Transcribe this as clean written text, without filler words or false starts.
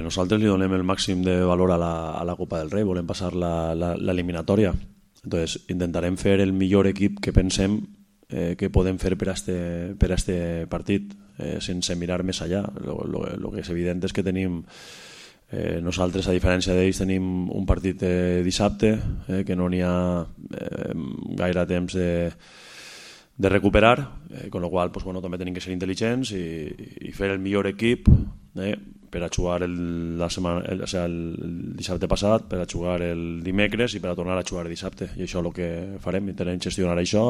Nosaltres li donem el màxim de valor a la Copa del Rei, volem passar l'eliminatòria. Entonces, intentarem fer el millor equip que pensem que podem fer per a este partit, sense mirar més allà. Lo que és evident és que tenim nosaltres, a diferència d'ells, tenim un partit dissabte, que no n'hi ha gaire temps de recuperar, con lo qual també tenim que ser intel·ligents i fer el millor equip per a jugar el dissabte passat, per a jugar el dimecres i per a tornar a jugar dissabte, i això és el que farem, intentem gestionar això